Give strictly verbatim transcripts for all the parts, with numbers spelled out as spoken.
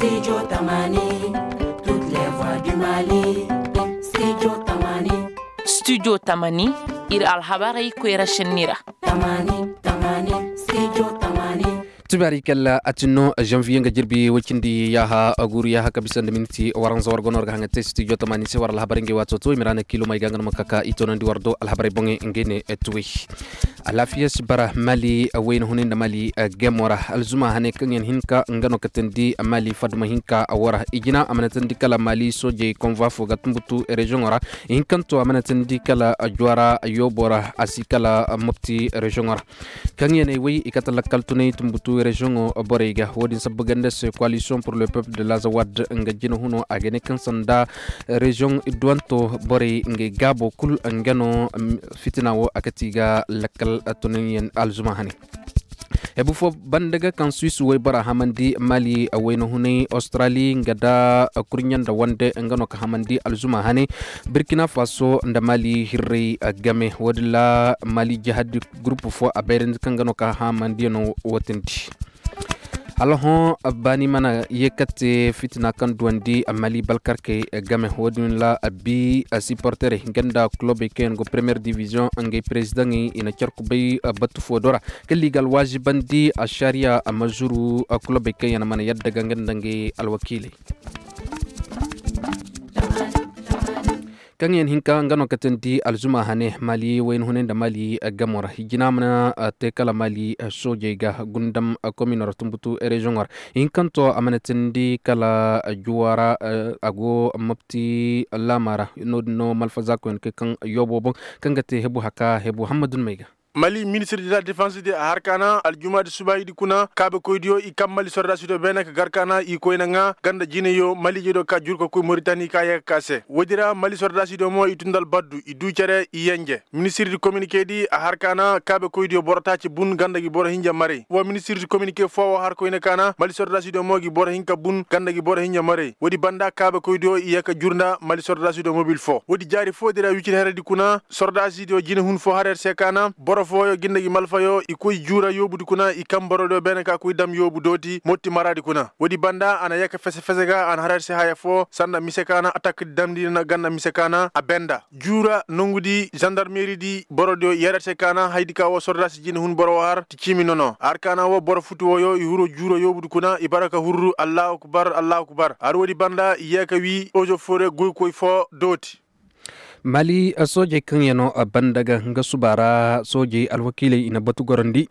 Studio tamani, iri alhabarey koyra šenni ra. Tubari kalla a tinno janviye nga jirbi wacindi yaha aguru yaha kabisa nda minti waranza wargono warga hanga te studio tamani se war alhabar nge wato to imrana kilo mai gangan makaka ito nandi wardo alhabar bonge ngene tuwe. Alafiya si bara mali wayna hunay nda mali gemora alzuma hane kaŋ yan hinka nga no katandi mali fadma hinka wara ijina amana tandi kala mali sojey konva fo ga tumbutu region wara. Hinkanto amana tandi kala juwara yobora asi kala mopti region wara. Kaŋ yaney way i kate lakkal tunay tumbutu reziyoŋo borey ga wo-din sabba ganda se coalition pour le peuple de lazawad nga jina huno a ga ne kaŋ sanda reziyoŋ idduwanto borey ngey gaabo kul nga no. Fitina wo a kati ga lakkal tunay yaŋ alzuma hane. Hebu fo banda ga kaŋ suwis waybora hamandi mali wayna hunay australi nga da kurɲa nda wande nga no ka hamandi alzuma hane. Birkina faso nda mali hirray game wo-din ra mali jihadi gurupu fo a bayrandi kaŋ ga no ka hamandiyaŋo wotindi. Hala hõ baani mana ye kate fitina kaŋ duwandi mali balkarkey game wo-din ra bi siporterey nga nda kulobey kaŋ yaŋ go premiyer diviziyoŋ ngey perezidaŋey i na carku bay batu fo do ra. Kaŋ liigal waazibandi ašariya a ma zuru kulobey kaŋ yaŋ mana yadda ga nga nda ngey alwakiiley. Kaŋ yaŋ hinka nga no katandi alzuma hane mali wayna hunay nda mali gamo ra hijina mana te kala mali soojey ga gundam komino ra tumbutu reziyoŋo ra. Hinkanto a mana tindi kala juwa ra a go mopti laama ra no-din no malfazakoyaŋ kay kaŋ yoobo boŋ kaŋ ga te hebu haka hebu hammadun may ga. Mali ministir de la defans de a har kaana aljumaadi subaayidi kuna kaabekoydiyo i kaŋ mali sordaasidiyo beene ka gar kaana i koyna ŋaa ganda jinayo maliijediyo ka jur ka koy moritani ka yee ka kaa se woodi ra mali sordaasidiyo mo i tun nda albaddu i duu cere i yenje ministirdi kominikeedi a har kaana kaabekoydiyo boro taaci bun ganda gi boro hinja maray wa ministirdi kominike foo wo har koyna kaana mali sordaasidiyo mo gi boro hinka bun ganda gi boro hinja maray woodi banda kaabekoydiyo i yee ka jur nda mali sordaasidiyo mobil foo woodi jaari foodi ra wicir heredi kuna sordaasidiyo jinehun foo har yer se kaana boro fooyo ginda gi malfayo i koy juura yoobudi kuna i kaŋ borodiyo beene ka koy dam yoobu dooti motti maraadi kuna woodi banda a na yee ka fese fese ga a na har yer se haya foo sanda mise kaana atakdi damndi na ganda mise kaana a benda juura nongudi zandarmeeridi borodiyo yer yer se kaana haydi ka woo sordaasi jinehun boro woo har ti ciimi nono har kaana woo boro futu wooyo i huru juura yoobudi kuna i bara ka hurru allahu akbar allahu akbar har woodi banda i yee ka wii ozo fore goykoy foo dooti. Mali soojey kaŋ yaŋ no banda ga nga suba ra soojey alwakiiley i na batu gorandi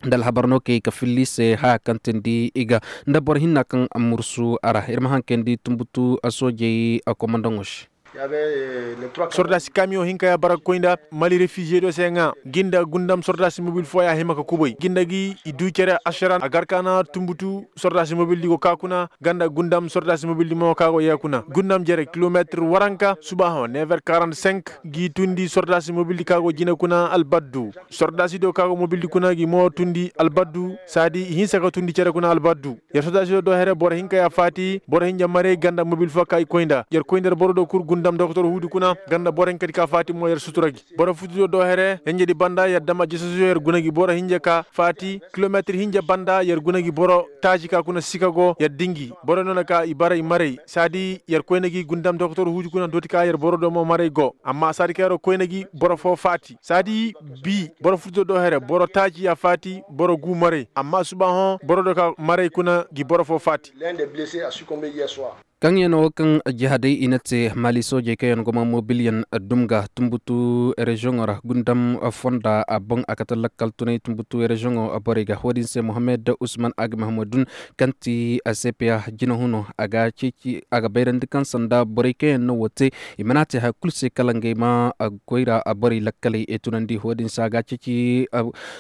nda alhabar no kay ka filli se haya kaŋ tindi i ga nda boro hinna kaŋ mursu a ra ir ma haŋ kayndi tumbutu soojey komandaŋo se. Sordaasi kamiyoŋ hinka ya bara ga koy nda mali refiziye do se ŋaa gi nda gundam sordaasi mobil fooya hima ka kubay gi nda gi i duu cere ašaran a gar kaana tumbutu sordaasi mobildi go ka kuna ganda gundam sordaasi mobildi mo ka go yee kuna gundam jere kilometir waranka suba hõ never quarante cinq gi tundi sordaasi mobildi ka go jine kuna albaddu sordaasidiyo ka go mobildi kuna gi mo tundi albaddu saadi i hinsa ka tundi cere kuna albaddu yer sordaasidiyo do here boro hinka ya faati boro hinja maray ganda mobil fo ka i koy nda yer koy nda yer boro do kul gundam dokotor huudi kuna ganda boro hinkadi ka faati mo yer sutura gi boro futudiyo do here hinjadi banda yer dama jesosiyo yer guna gi boro hinja ka faati kilometir hinja banda yer guna gi boro taaji ka kuna sika go yer dingi boro no na ka i bara i maray saadi yer koyna gi gundam dokotor huuji kuna dooti ka yer boro do mo maray go amma saadi ka yer koyna gi boro foo faati saadi bii boro futudiyo do here boro taaji ya faati boro guu maray amma suba hõ boro do ka maray kuna gi boro foo faati. Kaŋ yaŋ no kaŋ jihadey i na te mali soojey kaŋ yaŋ go ma mobilyaŋ dum ga tumbutu reziyoŋo ra gundam fonda a boŋ a kate lakkal tunay tumbutu reziyoŋo borey ga wo-din se mohammed usman aga mahamadun kaŋ ti cpa jinahuno a ga bayrandi kaŋ sanda borey kaŋ yaŋ no wo te i mana te haya kulu se kala ngey ma koyra borey lakkaley tunandi wo-din se a ga ceeci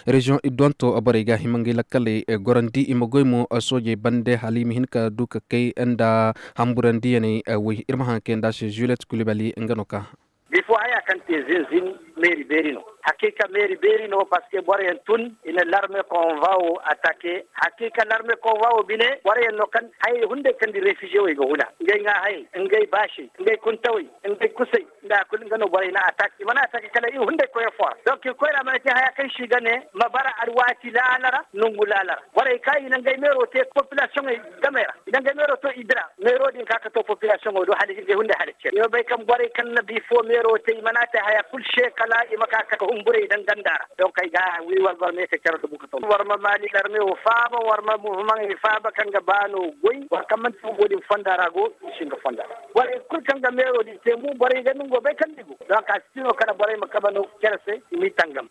reziyoŋ idduwanto borey ga hima ngey lakkaley gorandi i ma goy mo soojey bande hala i ma hin ka du ka kay nda hamburandiyaney woy ir ma haŋ kay nd'a se juliet kulibali nga no ka. Bifo haya kaŋ te zinzin meeri beeri no. Hakiika meeri beeri no parceque boroyaŋ tun i na larme konva wo atake. Hakiika larme konva wo bine boroyaŋ no kaŋ hayey hunday kaŋ di refize wey ga huna ngey ŋaahayey, ngey baasey, ngey kuntawey, ngey kusey. Nda kulu nga no borey na atak i mana atak kala i hunday koyra fo ra donk i koyra mana te haya kaŋ se i ga ne ma bara alwaati laala ra nongu laala ra. Borey kaŋ i na ngey meero te popilasiyoŋey gamey ra. danga meero to i dira meero din ka ka to populasiyoŋo do hala i ga hunday hala cere i ma bay kaŋ borey kaŋ na bi fo meero te i mana te haya kulu se kala i ma ka ka humburay daŋ ganda ra. Donk ay ga wi war gor me se cere da buka to war ma maali larme wo faaba war ma muhimmaŋey faaba kaŋ ga baano goy war kaŋ manti wo din fonda ra go i si nga fonda ra borey kulu kaŋ ga meero din te mo borey ga nungo bay kaŋ ni go donk a si tino kala borey ma kaba no cere se i m'i tangam.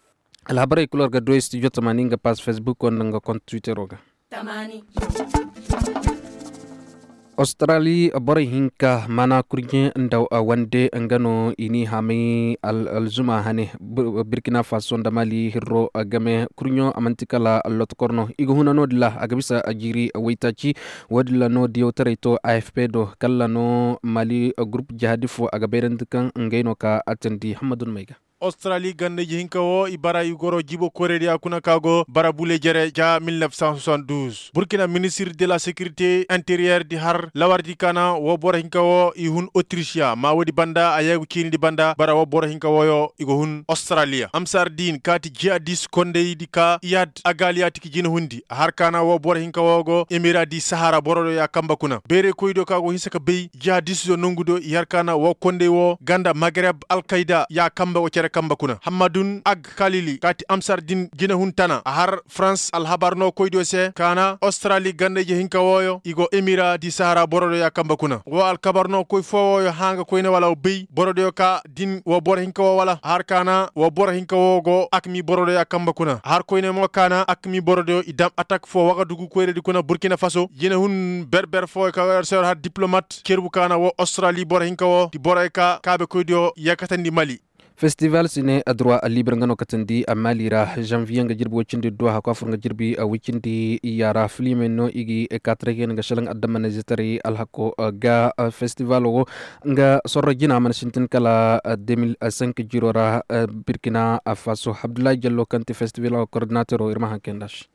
Alhabarey kulu war ga duwey studio tamani nga pass facebook wo nda nga kont twittero ga. Australi borey hinka mana kurɲe nda wande nga no i n'i hamay alzuma hane. Burkina faso nda mali hirro game kurɲo a man'ti kala allotokor no i ga huna no- din ra a ga bisa a jiiri waytaaci. Wo- din ra no diyawtaray to afp do kala no mali gurup jihadi fo a ga bayrandi kaŋ ngey no ka a teendi hammadun may ga. Australi ganda ije hinka wo i bara i goro jibo koyra diya kuna ka go bara bule jere ja mil nef san soixante douze burkina ministir de la sekirite interiyer di har lawardi ka na wo boro hinka wo i hun otrisiya ma woodi banda a yeegu ciinidi banda bara wo boro hinka woyo i go hun australiya amsar din kaati jihadis kondaydi ka iyad agaliya ti ka jinahundi a har ka na wo boro hinka wo go emira di sahara boro do ya kamba kuna beeray koydiyo ka go hinsa ka bay jihadis do nongu do i har ka na wo kondey wo ganda magreb alkayda ya kamba go cere kamba kuna hammadun ag kalili kaati amsar din jinahun tana a har farans alhabar no koydiyo se ka na australi ganda ije hinka wooyo i go emira di sahara boro do ya kamba kuna wo alkabar no koy foo wooyo hã nga koyne wala wo bay boro diyo ka din wo boro hinka woo wala a har ka na wo boro hinka woo go akmi boro do ya kamba kuna a har koyne mo ka na akmi boro diyo i dam atak foo wagadugu koyradi kuna burkina faso jinahun berber foo ka war se war har diplomat cerbu ka na wo australi boro hinka woo ti boroyo ka kaabekoydiyo yakatandi mali. Festival sine adroi alibir nga no katandi a mali ra janvier nga jirbi woy cindi duwa hako a fur nga jirbi woy cindi iyya ra filimey no i gi kaataray ga hin nga šelaŋ adammanizetaray alhako ga. Festivalo wo nga sorro jina mana sintin kala deux mille cinq jiro ra burkina faso abdullahi jallo kaŋ ti festivalo kordinatero ir ma haŋ kay nda se.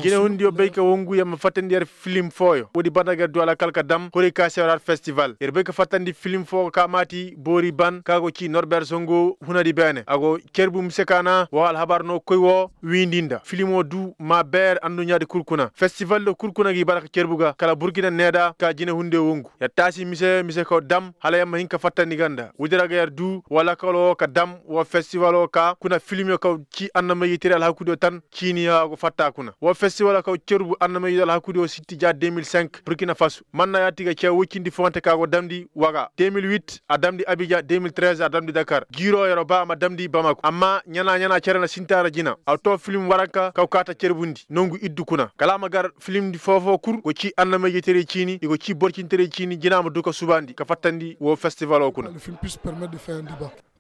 Jinahundiyo bay ka wangu yer ma fattandi yer filim fooyo woodi banda ga yer du alakal ka dam koray ka se war har festival yer bay ka fattandi filim foo ka maati boori ban ka go ci norber songo hunadi beene a go cerbu mise ka na woo alhabar no koy woo wiindi nda filimo du ma beer anduɲaadi kul kuna festivaldo kul kuna gi bara ka cerbu ga kala burkina needa ka jinahundiyo wangu yer taasi mise mise kaw dam hala yer ma hin ka fattandi ga nda woodi ra ga yer du woo lakalo woo ka dam woo festivalo ka kuna filimyo kaw ci annamayjey teri alhakudiyo tan ciiniya a go fatta kuna woo festiwalo kaw cerbu annamayjey alhakudiyo sitti ja deux mille cinq burkina faso manna yaati ga ce woy cindi foonte ka go damndi waga deux mille huit a damndi abijan deux mille treize a damndi dakar jiiro yeroo ba a ma damndi bamako amma ɲana ɲana cere na sinti a ra jina a too filim waranka kaw kaata cerbundi nongu iddu kuna kala a ma gar filimdi foo-foo kul go ci annamayjey terey ciini i go ci borcinterey ciini jina ma du ka subaandi ka fattandi woo festivalo kuna.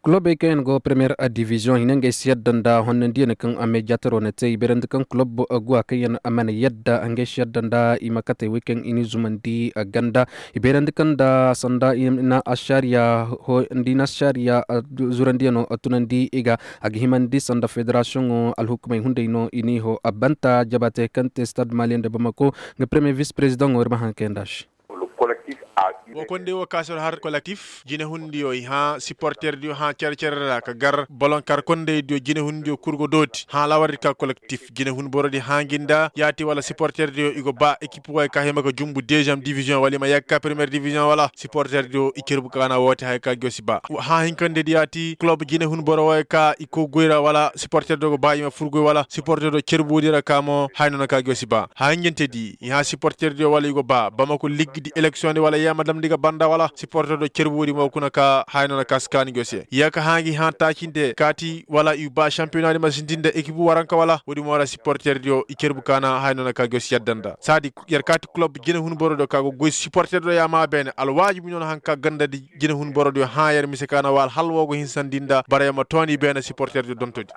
Kulobey kaŋ yaŋ go premiyer diviziyoŋ hina ngey si yadda nda honnandiyaŋ kaŋ a meejataro na te i bayrandi kaŋ kulob guwa kaŋ yaŋ mana yadda ngey si yadda nda i ma katey wey kaŋ i n'i zumandi ganda i bayrandi kaŋ nda sanda i na ašariya zurandiyano tunandi i ga a ga himandi sanda federasiyoŋo alhukumey hunday no i n'i ho a banta jabatey kaŋ te stad maliyaŋ nda bamako nga premiyer vis prezidaŋo ir ma haŋ kay nda se. Wo kondey wo ka se war har kolektif jinehundiyo i hã siporterdiyo hã cere-cere ra ka gar bolonkar kondeydiyo jinehundiyo kul go dooti hã lawardi ka kolektif jinehun borodi hã ngi nda yaati wala siporterdiyo i go ba ekip wooyo ka hima ga jumbu deziyeem diviziyoŋ wala i ma yagga ka premiyer diviziyoŋ wala siporterdiyo i cerbu ka na woote haya ka ngi yo si ba hã hinkandedi yaati kulob jinehun boro wooyo ka i koy goy ra wala siporterdiyo go ba i ma fur goy wala siporterdiyo cerbu woodi ra ka mo haya no na ka ngi yo si ba hã hinjantedi i hã siporterdiyo wala i go ba bamako ligdi eleksiyoŋdi wala yeema damndi ga banda wala siporterdiyo cerbu woodi mo kuna ka haya no na ka si kaani go se ya ka hã ngi hã taacinde kaati wala i ba sampiyonadi ma sintin nda ekipu waranka wala woodi mo ra siporterdiyo i cerbu ka na haya no na ka go se yadda nda saadi yer kaati kulob jinehun borodiyo ka go goy siporterdiyo ya maa beene alwaajibi no na haŋ ka gandadi jinehun borodiyo hã yer mise ka na wa alhal woo go hinsandi nda barayoo ma tooni beene siporterdiyo dontodi.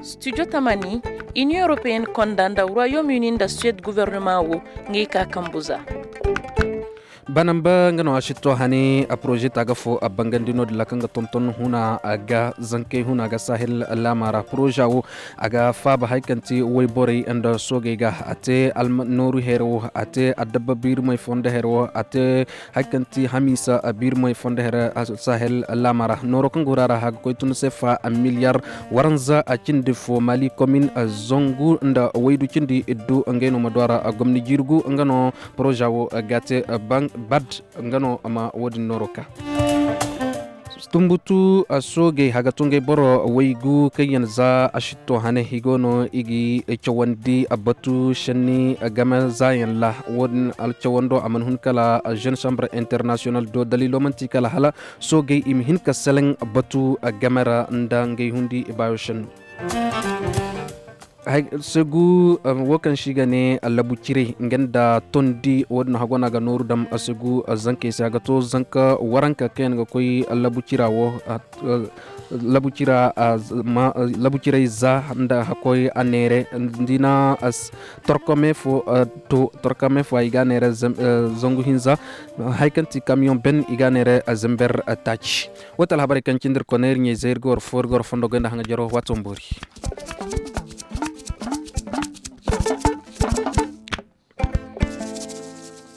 Studio tamani, inion europeyenne konda nda royaume uni nda suwed guvernema wo, ngey ka kambu za. Banamba nga no a si to hane a poroze taaga fo a bangandi no-din ra kaŋ ga tonton huna ga zankey huna ga sahel laama ra poroza wo a ga faaba hari kaŋ ti wayborey nda soogey ga a te nooru here wo a te addabba biirimey fondo here wo a te hari kaŋ ti hamiisa biirimey fondo here sahel laama ra nooro kaŋ go ra ra a ga koy tun se fa miliyar waranza a cindi fo mali komin zangu nda waydu cindi iddu ngey no ma du a ra gomni jirgu nga no poroza wo ga te bad nga no a ma wo-din nooro ka. Tumbutu soogey haga tungey boro waygu kaŋ yaŋ za a sitto hane i go no i ga cawandi batu senni game zaayaŋ ra wo-din alcawando a mana hun kala jeune chambre international do daliilo manti kala hala soogey i ma hin ka seleŋ batu game ra nda ngey hundi i baayo senno. Segu wo kaŋ se i ga ne labu cirey nga nda tondi wo-din hago no a ga nooru dam segu zankey se a ga to zanka waranka kaŋ yaŋ ga koy labu cira wo labu cira labu cirey za nda hakkoy a neere nda i na torkome fo to torkome fo i ga a neere zangu hinza hari kaŋ ti kamiyoŋ ben i ga a neere zember taaci. Wo ti alhabarey kaŋ cindi ir kone ir ɲey zey ir ga war fo ir ga war fondo goy nda haŋajaro waato ma boori.